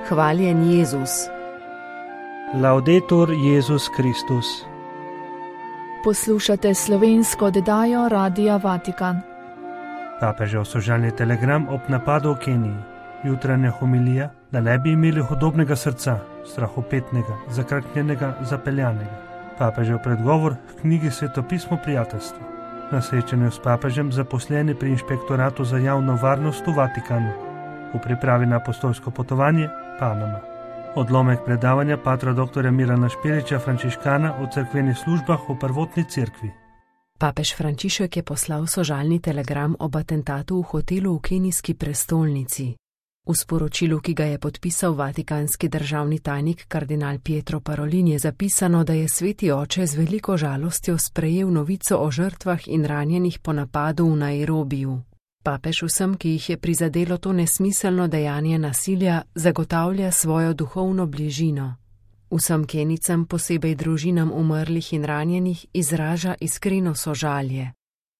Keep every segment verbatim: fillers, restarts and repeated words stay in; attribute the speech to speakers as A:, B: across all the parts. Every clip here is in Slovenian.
A: Hvaljen Jezus.
B: Laudetur Jezus Kristus.
C: Poslušate slovensko oddajo Radia Vatikan.
B: Papežev sožalni telegram ob napadu v Keniji. Jutranja homilija, da ne bi imeli hudobnega srca, strahopetnega, zakrknjenega, zapeljanega. Papežev predgovor v knjigi Svetopismo prijateljstva. Na srečanju s papežem zaposleni pri inšpektoratu za javno varnost v Vatikanu. V pripravi na apostolsko potovanje Panama. Odlomek predavanja patra doktorja Milana Špeliča, frančiškana v cerkvenih službah v prvotni cerkvi.
A: Papež Frančišek je poslal sožalni telegram ob atentatu v hotelu v kenijski prestolnici. V sporočilu, ki ga je podpisal vatikanski državni tajnik kardinal Pietro Parolin, je zapisano, da je sveti oče z veliko žalostjo sprejel novico o žrtvah in ranjenih po napadu v Nairobiju. Papež vsem, ki jih je prizadelo to nesmiselno dejanje nasilja, zagotavlja svojo duhovno bližino. Vsem Kenijcem, posebej družinam umrlih in ranjenih, izraža iskreno sožalje.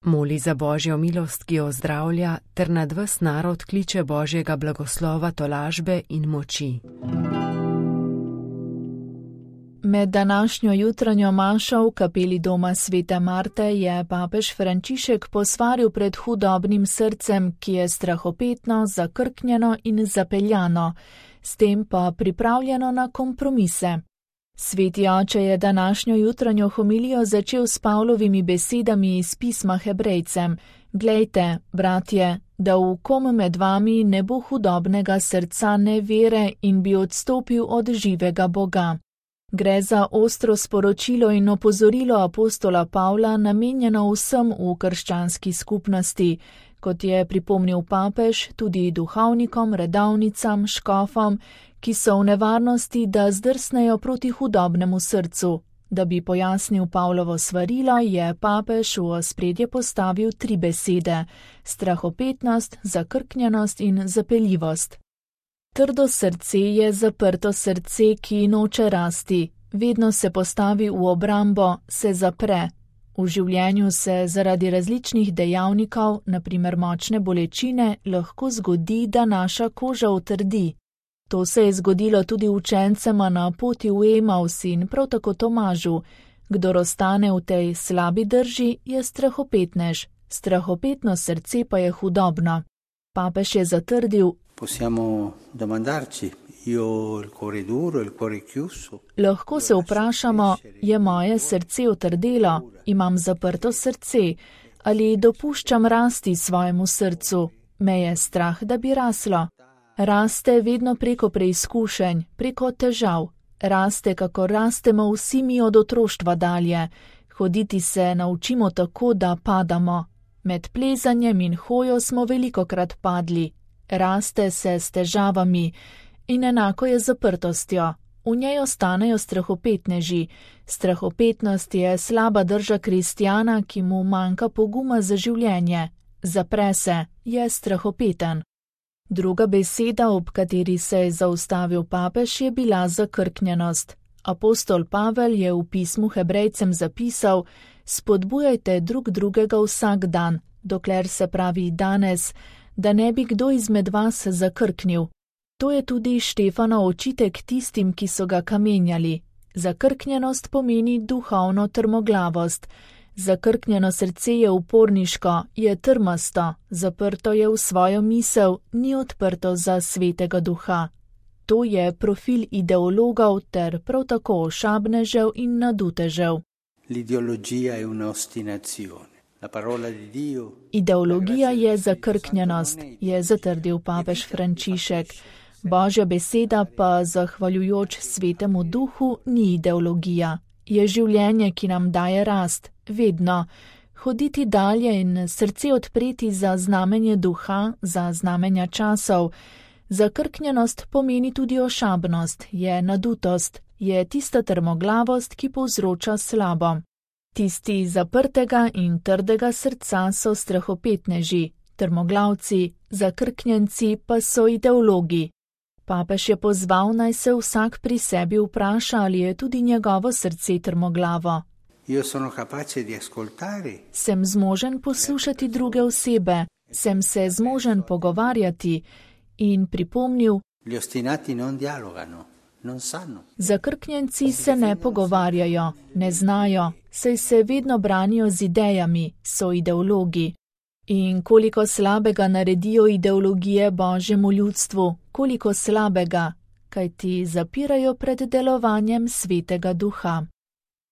A: Moli za Božjo milost, ki jo ozdravlja, ter nad ves narod kliče Božjega blagoslova, tolažbe in moči.
C: Med današnjo jutranjo mašo v kapeli doma svete Marte je papež Frančišek posvaril pred hudobnim srcem, ki je strahopetno, zakrknjeno in zapeljano, s tem pa pripravljeno na kompromise. Sveti oče je današnjo jutranjo homilijo začel s Pavlovimi besedami iz pisma Hebrejcem: Glejte, bratje, da v kom med vami ne bo hudobnega srca nevere in bi odstopil od živega Boga. Gre za ostro sporočilo in opozorilo apostola Pavla, namenjeno vsem v krščanski skupnosti, kot je pripomnil papež, tudi duhovnikom, redovnicam, škofom, ki so v nevarnosti, da zdrsnejo proti hudobnemu srcu. Da bi pojasnil Pavlovo svarilo, je papež v ospredje postavil tri besede: strahopetnost, zakrknjenost in zapeljivost. Trdo srce je zaprto srce, ki noče rasti, vedno se postavi v obrambo, se zapre. V življenju se zaradi različnih dejavnikov, na primer močne bolečine, lahko zgodi, da naša koža utrdi. To se je zgodilo tudi učencema na poti v Emaus in prav tako Tomažu. Kdor ostane v tej slabi drži, je strahopetnež, strahopetno srce pa je hudobno. Papež je zatrdil:
D: Possiamo domandarci, io il cuore duro, il cuore chiuso.
C: Lahko se vprašamo, je moje srce utrdelo, imam zaprto srce, ali dopuščam rasti svojemu srcu, me je strah, da bi raslo. Raste vedno preko preizkušenj, preko težav. Raste, kako rastemo vsi mi od otroštva dalje. Hoditi se naučimo tako, da padamo. Med plezanjem in hojo smo velikokrat padli. Raste se s težavami in enako je z zaprtostjo. V njej ostanejo strahopetneži. Strahopetnost je slaba drža kristjana, ki mu manjka poguma za življenje. Zapre se, je strahopeten. Druga beseda, ob kateri se je zaustavil papež, je bila zakrknjenost. Apostol Pavel je v pismu Hebrejcem zapisal: spodbujajte drug drugega vsak dan, dokler se pravi danes, da ne bi kdo izmed vas zakrknil. To je tudi Štefanov očitek tistim, ki so ga kamenjali. Zakrknjenost pomeni duhovno trmoglavost. Zakrknjeno srce je uporniško, je trmasto, zaprto je v svojo misel, ni odprto za svetega duha. To je profil ideologov ter prav tako ošabnežev in nadutežev.
D: L'ideologija je una ostinazione.
C: Ideologija je zakrknjenost, je zatrdil papež Frančišek. Božja beseda pa, zahvaljujoč svetemu duhu, ni ideologija. Je življenje, ki nam daje rast, vedno. Hoditi dalje in srce odpreti za znamenje duha, za znamenja časov. Zakrknjenost pomeni tudi ošabnost, je nadutost, je tista trmoglavost, ki povzroča slabo. Tisti zaprtega in trdega srca so strahopetneži, trmoglavci, zakrknjenci pa so ideologi. Papež je pozval, naj se vsak pri sebi vpraša, ali je tudi njegovo srce trmoglavo. Sem zmožen poslušati druge osebe, sem se zmožen pogovarjati in pripomnil,
D: Gli ostinati non dialogano, non sanno.
C: Zakrknjenci se ne pogovarjajo, ne znajo, saj se vedno branijo z idejami, so ideologi. In koliko slabega naredijo ideologije Božjemu ljudstvu, koliko slabega, kajti zapirajo pred delovanjem Svetega Duha.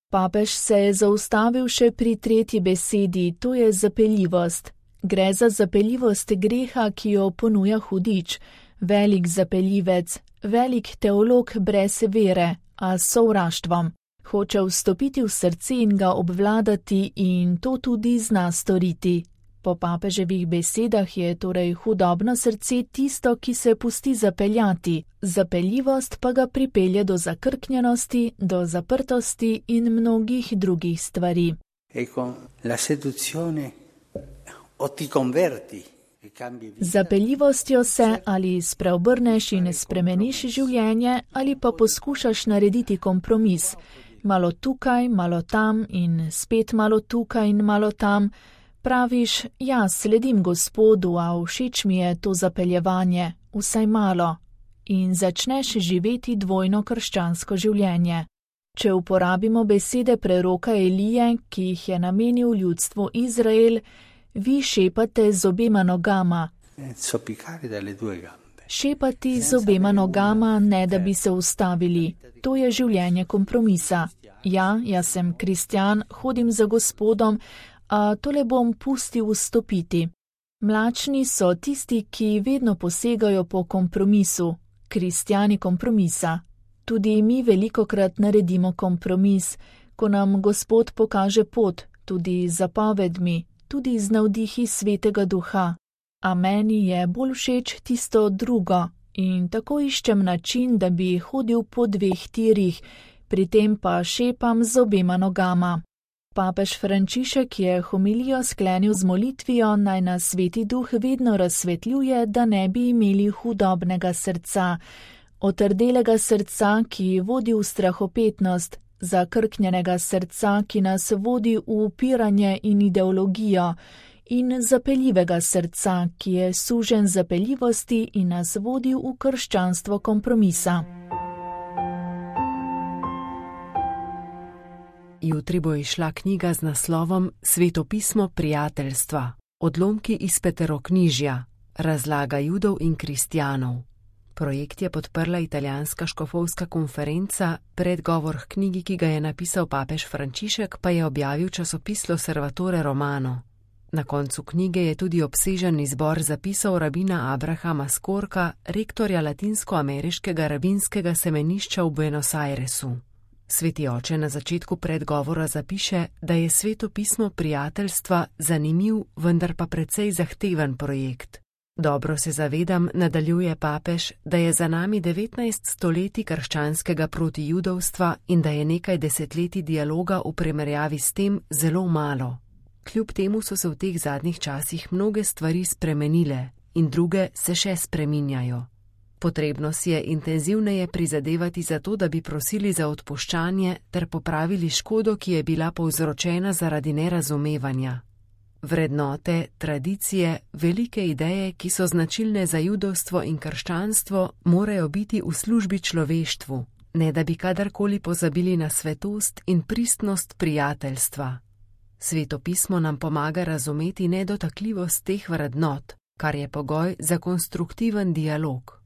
C: Papež se je zaustavil še pri tretji besedi, to je zapeljivost. Gre za zapeljivost greha, ki jo ponuja hudič, velik zapeljivec, velik teolog brez vere, a s sovraštvom. Hoče vstopiti v srce in ga obvladati in to tudi zna storiti. Po papeževih besedah je torej hudobno srce tisto, ki se pusti zapeljati, zapeljivost pa ga pripelje do zakrknjenosti, do zaprtosti in mnogih drugih stvari.
D: Ecco, la seduzione o ti converti.
C: Z zapeljivostjo se ali spreobrneš in spremeniš življenje ali pa poskušaš narediti kompromis. Malo tukaj, malo tam in spet malo tukaj in malo tam. Praviš, ja, sledim Gospodu, a všeč mi je to zapeljevanje, vsaj malo. In začneš živeti dvojno krščansko življenje. Če uporabimo besede preroka Elije, ki jih je namenil ljudstvu Izrael, vi šepate z obema nogama. Šepati z obema nogama, ne da bi se ustavili. To je življenje kompromisa. Ja, jaz sem kristjan, hodim za Gospodom, a tole bom pustil vstopiti. Mlačni so tisti, ki vedno posegajo po kompromisu, kristjani kompromisa. Tudi mi velikokrat naredimo kompromis, ko nam Gospod pokaže pot, tudi z zapovedmi, tudi z navdihi Svetega Duha. A meni je bolj všeč tisto drugo in tako iščem način, da bi hodil po dveh tirih, pri tem pa šepam z obema nogama. Papež Frančišek je homilijo sklenil z molitvijo, naj nas Sveti Duh vedno razsvetljuje, da ne bi imeli hudobnega srca, otrdelega srca, ki vodi v strahopetnost, zakrknjenega srca, ki nas vodi v upiranje in ideologijo, in zapeljivega srca, ki je sužen zapeljivosti in nas vodi v krščanstvo kompromisa.
A: Jutri bo izšla knjiga z naslovom Svetopismo prijateljstva, odlomki iz Peteroknižja, razlaga Judov in kristjanov. Projekt je podprla italijanska škofovska konferenca, predgovor k knjigi, ki ga je napisal papež Frančišek, pa je objavil časopis L'Osservatore Romano. Na koncu knjige je tudi obsežen izbor zapisov rabina Abrahama Skorka, rektorja latinskoameriškega rabinskega semenišča v Buenos Airesu. Sveti oče na začetku predgovora zapiše, da je svetopismo prijateljstva zanimiv, vendar pa precej zahteven projekt. Dobro se zavedam, nadaljuje papež, da je za nami devetnajst stoletij krščanskega protijudovstva in da je nekaj desetletij dialoga v primerjavi s tem zelo malo. Kljub temu so se v teh zadnjih časih mnoge stvari spremenile in druge se še spreminjajo. Potrebno si je intenzivneje prizadevati za to, da bi prosili za odpuščanje ter popravili škodo, ki je bila povzročena zaradi nerazumevanja. Vrednote, tradicije, velike ideje, ki so značilne za judovstvo in krščanstvo, morajo biti v službi človeštvu, ne da bi kadarkoli pozabili na svetost in pristnost prijateljstva. Svetopismo nam pomaga razumeti nedotakljivost teh vrednot, kar je pogoj za konstruktiven dialog.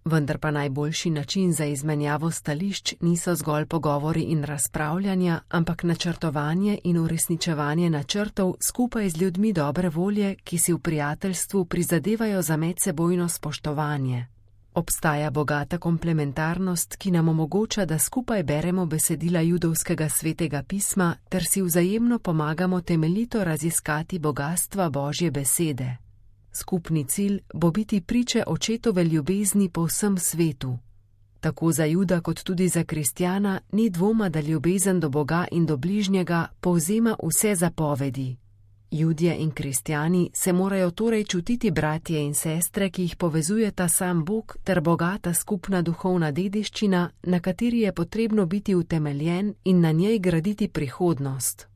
A: Vendar pa najboljši način za izmenjavo stališč niso zgolj pogovori in razpravljanja, ampak načrtovanje in uresničevanje načrtov skupaj z ljudmi dobre volje, ki si v prijateljstvu prizadevajo za medsebojno spoštovanje. Obstaja bogata komplementarnost, ki nam omogoča, da skupaj beremo besedila judovskega svetega pisma ter si vzajemno pomagamo temeljito raziskati bogastva Božje besede. Skupni cilj bo biti priče očetove ljubezni po vsem svetu. Tako za Juda kot tudi za kristjana ni dvoma, da ljubezen do Boga in do bližnjega povzema vse zapovedi. Judje in kristjani se morajo torej čutiti bratje in sestre, ki jih povezujeta sam Bog ter bogata skupna duhovna dediščina, na kateri je potrebno biti utemeljen in na njej graditi prihodnost.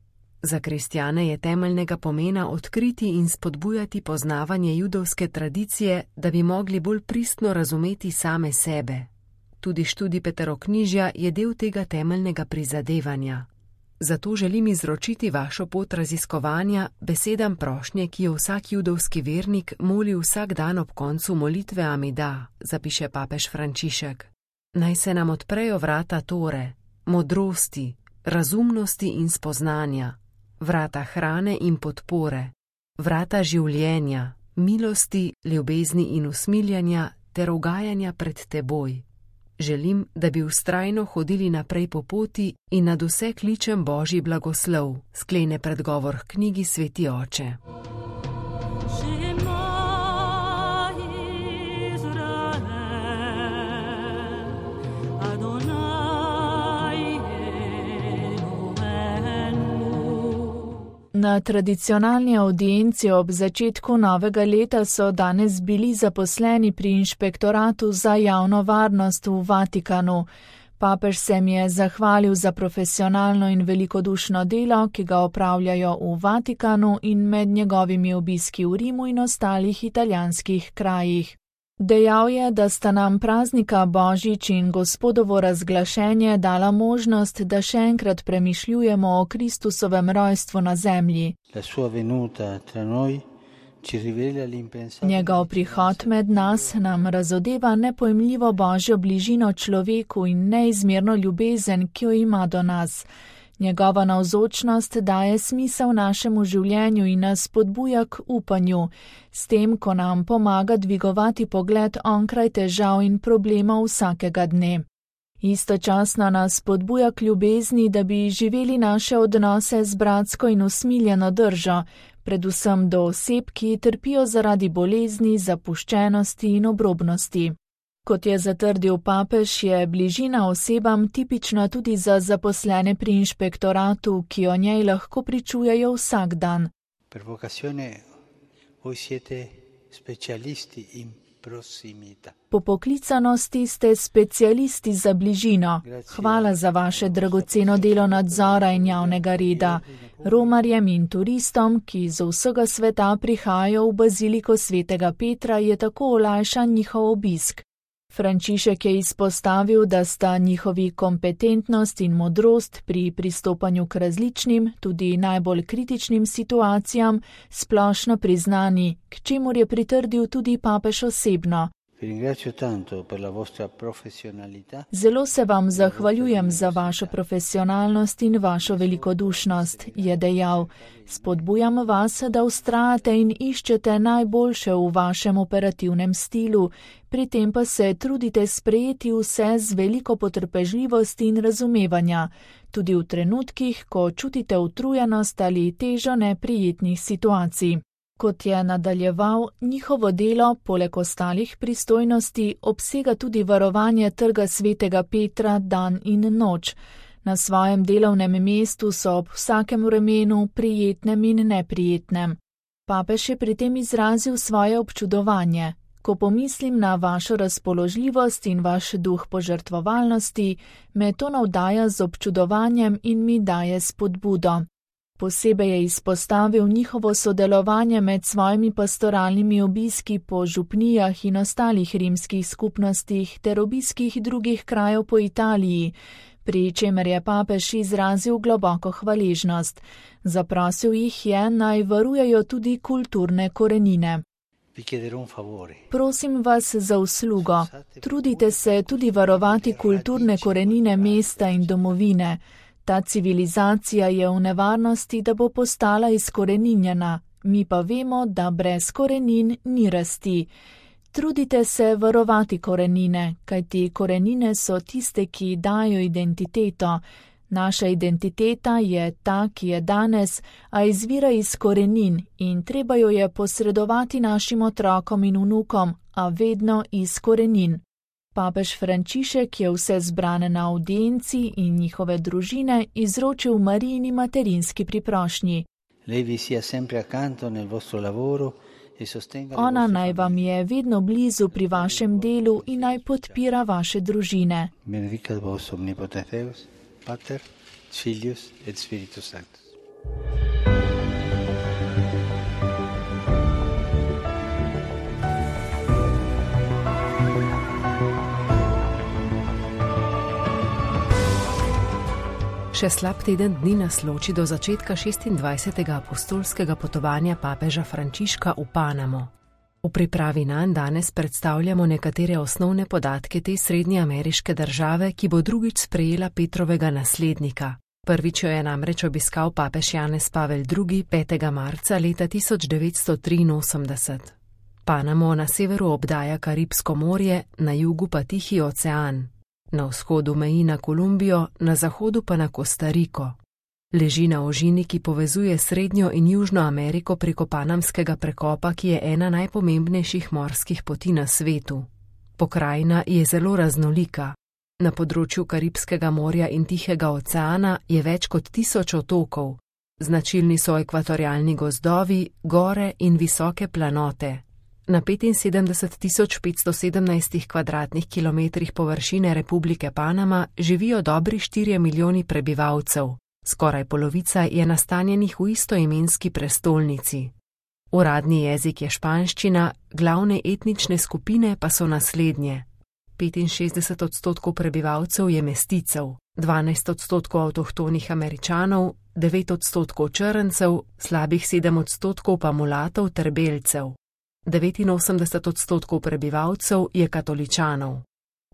A: Za kristjane je temeljnega pomena odkriti in spodbujati poznavanje judovske tradicije, da bi mogli bolj pristno razumeti same sebe. Tudi študij Peteroknižja je del tega temeljnega prizadevanja. Zato želim izročiti vašo pot raziskovanja besedam prošnje, ki jo vsak judovski vernik moli vsak dan ob koncu molitve Amida, zapiše papež Frančišek. Naj se nam odprejo vrata Tore, modrosti, razumnosti in spoznanja, vrata hrane in podpore, vrata življenja, milosti, ljubezni in usmiljanja ter ugajanja pred teboj. Želim, da bi vztrajno hodili naprej po poti in nad vse kličem Božji blagoslov, sklene predgovor k knjigi Sveti oče.
C: Na tradicionalni audienci ob začetku novega leta so danes bili zaposleni pri Inšpektoratu za javno varnost v Vatikanu. Papež se mi je zahvalil za profesionalno in velikodušno delo, ki ga opravljajo v Vatikanu in med njegovimi obiski v Rimu in ostalih italijanskih krajih. Dejal je, da sta nam praznika Božič in Gospodovo razglašenje dala možnost, da še enkrat premišljujemo o Kristusovem rojstvu na zemlji. Njegov prihod med nas nam razodeva nepojmljivo Božjo bližino človeku in neizmerno ljubezen, ki jo ima do nas. Njegova navzočnost daje smisel našemu življenju in nas spodbuja k upanju, s tem, ko nam pomaga dvigovati pogled onkraj težav in problemov vsakega dne. Istočasno nas spodbuja k ljubezni, da bi živeli naše odnose z bratsko in usmiljeno držo, predvsem do oseb, ki trpijo zaradi bolezni, zapuščenosti in obrobnosti. Kot je zatrdil papež, je bližina osebam tipična tudi za zaposlene pri inšpektoratu, ki o njej lahko pričujejo vsak dan. Po poklicanosti ste specialisti za bližino. Hvala za vaše dragoceno delo nadzora in javnega reda. Romarjem in turistom, ki iz vsega sveta prihajajo v baziliko svetega Petra, je tako olajšan njihov obisk. Frančišek je izpostavil, da sta njihovi kompetentnost in modrost pri pristopanju k različnim, tudi najbolj kritičnim situacijam splošno priznani, k čemur je pritrdil tudi papež osebno. Zelo se vam zahvaljujem za vašo profesionalnost in vašo velikodušnost, je dejal. Spodbujam vas, da vztrajate in iščete najboljše v vašem operativnem stilu, pri tem pa se trudite sprejeti vse z veliko potrpežljivosti in razumevanja, tudi v trenutkih, ko čutite utrujenost ali težo neprijetnih situacij. Kot je nadaljeval, njihovo delo, poleg ostalih pristojnosti, obsega tudi varovanje trga svetega Petra dan in noč. Na svojem delovnem mestu so ob vsakem vremenu, prijetnem in neprijetnem. Papež je pri tem izrazil svoje občudovanje. Ko pomislim na vašo razpoložljivost in vaš duh požrtvovalnosti, me to navdaja z občudovanjem in mi daje spodbudo. Posebej je izpostavil njihovo sodelovanje med svojimi pastoralnimi obiski po župnijah in ostalih rimskih skupnostih ter obiskih drugih krajev po Italiji, pri čemer je papež izrazil globoko hvaležnost. Zaprosil jih je, naj varujejo tudi kulturne korenine. Prosim vas za uslugo. Trudite se tudi varovati kulturne korenine mesta in domovine. Ta civilizacija je v nevarnosti, da bo postala izkoreninjena, mi pa vemo, da brez korenin ni rasti. Trudite se varovati korenine, kajti korenine so tiste, ki dajo identiteto. Naša identiteta je ta, ki je danes, a izvira iz korenin in treba jo je posredovati našim otrokom in vnukom, a vedno iz korenin. Papež Frančišek je vse zbrane na audienci in njihove družine izročil Marijini materinski priprošnji. Ona naj vam je vedno blizu pri vašem delu in naj podpira vaše družine.
D: Benedicat vos omnipotenteus, Pater, Filius et Spiritus Sanctus.
A: Še slab teden dni nas loči do začetka šestindvajsetega apostolskega potovanja papeža Frančiška v Panamo. V pripravi nanj danes predstavljamo nekatere osnovne podatke te srednjeameriške države, ki bo drugič sprejela Petrovega naslednika. Prvič jo je namreč obiskal papež Janez Pavel drugi petega marca leta tisoč devetsto triinosemdeset. Panamo na severu obdaja Karibsko morje, na jugu pa Tihi ocean. Na vzhodu meji na Kolumbijo, na zahodu pa na Kostariko. Leži na ožini, ki povezuje Srednjo in Južno Ameriko preko Panamskega prekopa, ki je ena najpomembnejših morskih poti na svetu. Pokrajina je zelo raznolika. Na področju Karibskega morja in Tihega oceana je več kot tisoč otokov. Značilni so ekvatorialni gozdovi, gore in visoke planote. Na petinsedemdeset tisoč petsto sedemnajst kvadratnih kilometrih površine Republike Panama živijo dobri štirje milijoni prebivalcev. Skoraj polovica je nastanjenih v istoimenski prestolnici. Uradni jezik je španščina, glavne etnične skupine pa so naslednje. petinšestdeset odstotkov prebivalcev je mesticev, dvanajst odstotkov avtohtonih Američanov, devet odstotkov črncev, slabih sedem odstotkov pa mulatov ter belcev. devetinosemdeset odstotkov prebivalcev je katoličanov.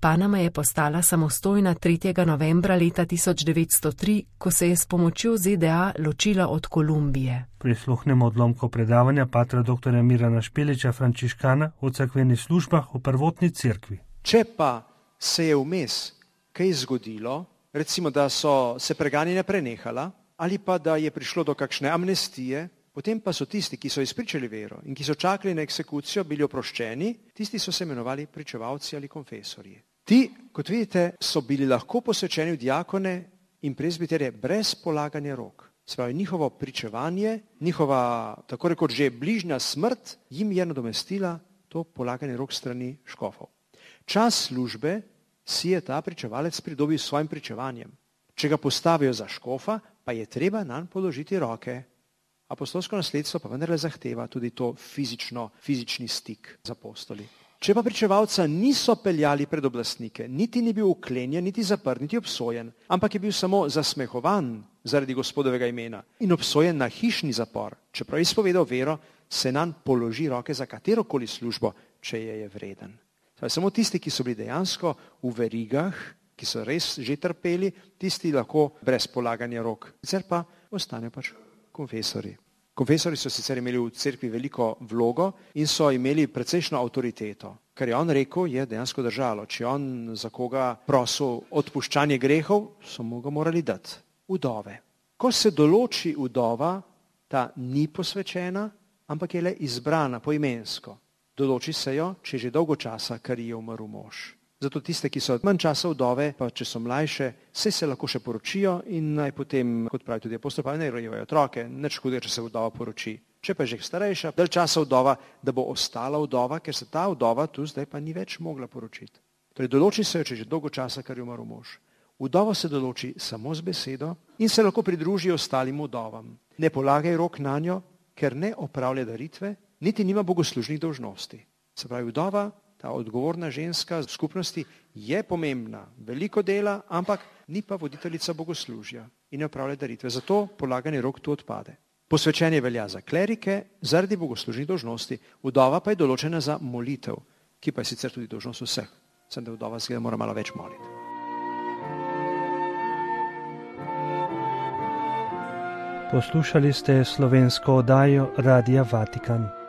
A: Panama je postala samostojna tretjega novembra leta tisoč devetsto tri, ko se je s pomočjo Z D A ločila od Kolumbije.
B: Prisluhnemo odlomko predavanja patra doktorja Mirana Špeliča, frančiškana, o cerkvenih službah v prvotni cerkvi.
E: Če pa se je vmes kaj zgodilo, recimo da so se preganjanja prenehala, ali pa da je prišlo do kakšne amnestije, potem pa so tisti, ki so izpričali vero in ki so čakali na eksekucijo, bili oproščeni, tisti so se imenovali pričevalci ali konfesorji. Ti, kot vidite, so bili lahko posvečeni v diakone in prezbiterje brez polaganja rok. Se pravi, njihovo pričevanje, njihova, tako rekoč že bližnja smrt, jim je nadomestila to polaganje rok strani škofov. Čas službe si je ta pričevalec pridobil s svojim pričevanjem. Če ga postavijo za škofa, pa je treba nanj položiti roke. Apostolsko nasledstvo pa vendarle zahteva tudi to fizično, fizični stik z apostoli. Če pa pričevalca niso peljali pred oblastnike, niti ni bil uklenjen, niti zaprt, niti obsojen, ampak je bil samo zasmehovan zaradi Gospodovega imena in obsojen na hišni zapor, čeprav je izpovedal vero, se nanj položi roke za katerokoli službo, če je je vreden. Samo tisti, ki so bili dejansko v verigah, ki so res že trpeli, tisti lahko brez polaganja rok. Sicer pa ostanejo pač konfesori. Konfesori so sicer imeli v cerkvi veliko vlogo in so imeli precejšno avtoriteto. Kar je on rekel, je dejansko držalo. Če on za koga prosil odpuščanje grehov, so mu ga morali dati. Vdove. Ko se določi vdova, ta ni posvečena, ampak je le izbrana poimensko. Določi se jo, če že dolgo časa, kar je umrl mož. Zato tiste, ki so manj časa vdove, pa če so mlajše, se se lahko še poročijo in naj potem, kot pravi tudi apostol Pavel, naj rojevajo otroke, nič hudega, če se vdova poroči. Če pa je že starejša, dalj časa vdova, da bo ostala vdova, ker se ta vdova tu zdaj pa ni več mogla poročiti. Torej določi se jo, če že dolgo časa, kar je umrl mož. Vdova se določi samo z besedo in se lahko pridruži ostalim vdovam. Ne polagaj rok na njo, ker ne opravlja daritve, niti nima bogoslužnih dolžnosti. Se pravi, vdova, ta odgovorna ženska v skupnosti je pomembna, veliko dela, ampak ni pa voditeljica bogoslužja in ne opravlja daritve. Zato polaganje rok tu odpade. Posvečenje velja za klerike zaradi bogoslužnih dolžnosti, vdova pa je določena za molitev, ki pa je sicer tudi dolžnost vseh. Sem da vdova zgleda mora malo več moliti.
B: Poslušali ste slovensko oddajo Radia Vatikan.